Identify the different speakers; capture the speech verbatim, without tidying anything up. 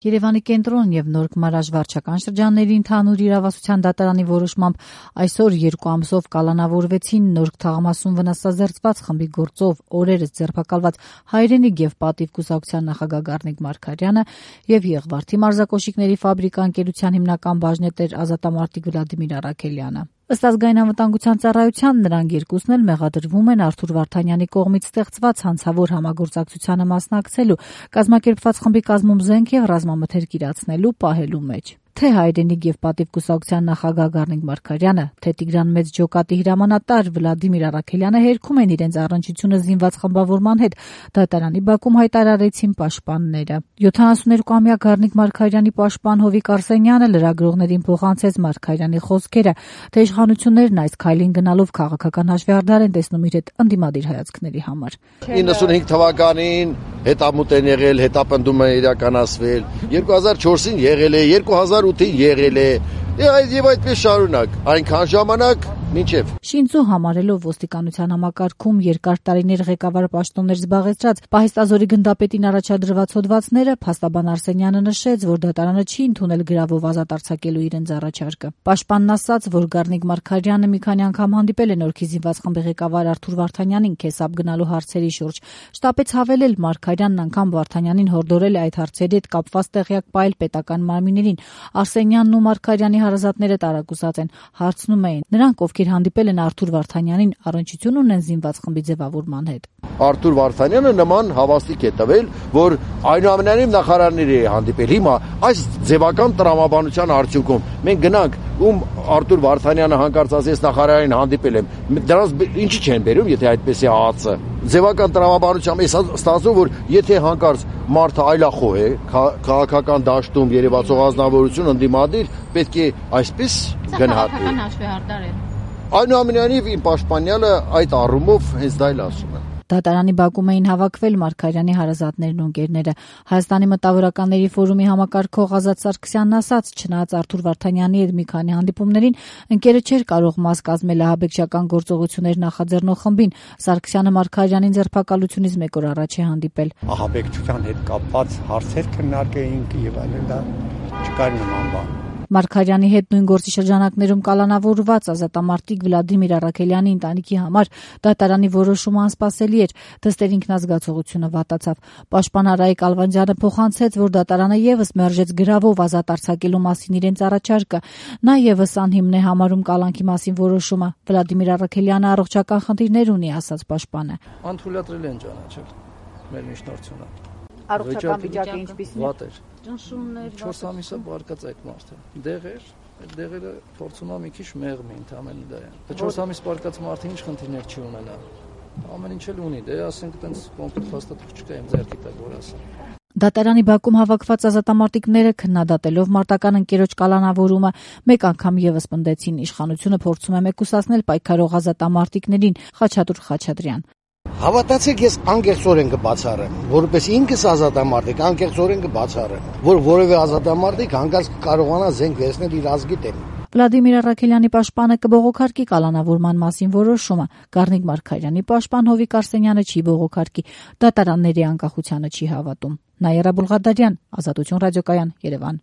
Speaker 1: Երևանի կենտրոն եւ Նոր Գմարաժ վարչական շրջանների ընդհանուր իրավասության դատարանի որոշմամբ այսօր երկու ամսով կալանավորվեցին Նորք թաղամասում վնասազերծված խմբի գործով օրերս ձերբակալված Հայրենիք եւ պատիվ կուսակցության նախագահ Գառնիկ Մարգարյանը եւ Եղվարդի մարզակոշիկների ֆաբրիկա ընկերության հիմնական բաժնետեր ազատամարտիկ Վլադիմիր Առաքելյանը։ Ըստ ազգային անվտանգության ծառայության նրանք երկուսն էլ մեղադրվում են Արթուր Վարդանյանի կողմից ստեղծված հանցավոր համագործակցությանը մասնակցելու, կազմակերպված խմբի կազմում զենք եւ ռազմամթերք իրացնելու պահելու մեջ։ Թե Հայրենիք եւ պատիվ կուսակցության նախագահ Գառնիկ Մարգարյանը, թե Տիգրան Մեծ ջոկատի հրամանատար Վլադիմիր Առաքելյանը հերքում են իրենց առնչությունը զինված խմբավորման հետ, դատարանի բակում հայտարարեցին պաշտպանները։ յոթանասունյոթ-ամյա Գառնիկ Մարգարյանի պաշտպան Հովիկ Արսենյանը լրագրողներին փոխանցեց Մարգարյանի խոսքերը, թե իշխանություններն այս քայլին գնալով քաղաքական հաշվեհարդար են տեսնում իր հետ ընդդիմադիր հայացքների համար։
Speaker 2: իննսունհինգ թվականին հետամուտ են եղել, հետապնդում են իրականացվել, երկու հազար չորսին եղել է, երկու հազար ութին եղել է, եւ այդպես շարունակ, այնքան ժամանակ մինչև
Speaker 1: Շինծու համարելով ոստիկանության համակարգում երկար տարիներ ղեկավար պաշտոններ զբաղեցրած Պահեստազորի գնդապետին առաջադրված հոդվածները փաստաբան Արսենյանը նշեց, որ դատարանը չի ընդունել գրավով ազատ արձակելու իրենց առաջարկը։ Պաշտպանն ասաց, որ Գառնիկ Մարգարյանը մի քանի անգամ հանդիպել է Նորքի զինված խմբի ղեկավար Արթուր Վարդանյանին քեսապ գնալու հարցերի շուրջ։ Շտապեց հավելել, Մարգարյանն անգամ Վարդանյանին հորդորել է այդ հարցերի հետ կապված տեղյակ պահել պետական մարմիններին։ Արսենյանն ու Մարգարյանի հարազատները տարակուսած են, հարցնում էին, նրանք ովքեր հանդիպել են Արթուր Վարդանյանին, առնչություն ունեն զինված խմբի ձևավորման հետ։
Speaker 2: Արթուր Վարդանյանը նման հավաստիք է տվել, որ այնուամենայնիվ նախարարների է հանդիպել։ Հիմա այս ձևական տրամաբանության արդյունքում մենք գնանք, ում Արթուր Վարդանյանը հանկարծ ասես նախարարին հանդիպել եմ, դրանց ինչի չեն բերում, եթե այդպես է ԱԱՑ-ը։ Ձևական տրամաբանությամբ է ստացվում, որ եթե հանկարծ մարդը այլախոհ է, քաղաքական դաշտում երևացող ազնվորություն ընդդիմադիր, պետք է այսպես գնահատել։
Speaker 1: Քաղաքական հաշվեհարդար է։
Speaker 2: Այնուամենայնիվ իմ պաշտպանյալը այդ առումով հենց դա էլ ասում է։
Speaker 1: Դատարանի բակում էին հավաքվել Մարգարյանի հարազատներն ու ընկերները։ Հայաստանի մտավորականների ֆորումի համակարգող Ազատ Սարգսյանն ասաց, չնայած Արթուր Վարդանյանի հետ մի քանի հանդիպումներին ընկերը չէր կարող մաս կազմել ահաբեկչական գործողություններ նախաձեռնող խմբին, Սարգսյանը Մարգարյանին ձերբակալությունից մեկ օր առաջ է հանդիպել։
Speaker 3: Ահաբեկչության հետ կապված հարցեր քննարկեինք եւ այլն, դա չկար նման բան։
Speaker 1: Մարգարյանի հետ նույն գործի շրջանակներում կալանավորված ազատամարտիկ Վլադիմիր Առաքելյանի ընտանիքի համար դատարանի որոշումը անսպասելի էր, դստեր ինքնազգացողությունը վատացավ։ Պաշտպան Արայիկ Ալվանդյանը փոխանցեց, որ դատարանը եւս մերժեց գրավով ազատ արձակելու մասին իրենց առաջարկը։ Նա եւս անհիմն է համարում կալանքի մասին որոշումը։ Վլադիմիր Առաքելյանը առողջական խնդիրներ ունի, ասաց պաշտպանը։
Speaker 4: Անթույլատրել են ճանաչել մեր միջնորդությունը։
Speaker 1: Առողջական վիճակը ինչպիսին է։
Speaker 4: Վատ էր։ Ճնշումներ, չորս ամիսը բարկած այդ մարդը։ Դեղեր, այդ դեղերը փորձում ա մի քիչ մեղմի ընդամենը դա է։ Դա չորս ամիս բարկած մարդը ինչ խնդիրներ չի ունենա։ Ամեն ինչ էլ ունի, դե ասենք այտենց կոնկրետ հաստատող չկա իմ ձեռքի տակ որ ասեմ։
Speaker 1: Դատարանի բակում հավաքված ազատամարտիկները քննադատելով մարտական ընկերոջ կալանավորումը մեկ անգամ եւս պնդեցին իշխանությունը փորձում է մեկուսացնել պայքարող ազատամարտիկներին։ Խաչատուր Խաչատրյան
Speaker 5: Հավատացեք, ես անկեղծորեն կբացառեմ, որպես ինքս ազատամարտիկ, անկեղծորեն կբացառեմ, որ որևէ ազատամարտիկ հանկարծ կարողանա զենք վերցնել իր ազգի դեմ։
Speaker 1: Վլադիմիր Առաքելյանի պաշտպանը կբողոքարկի կալանավորման մասին որոշումը, Գառնիկ Մարգարյանի պաշտպան Հովիկ Արսենյանը չի բողոքարկի, դատարանների անկախությանը չի հավատում։ Նաիրա Բուլղադարյան, Ազատություն ռադիոկայան, Երևան։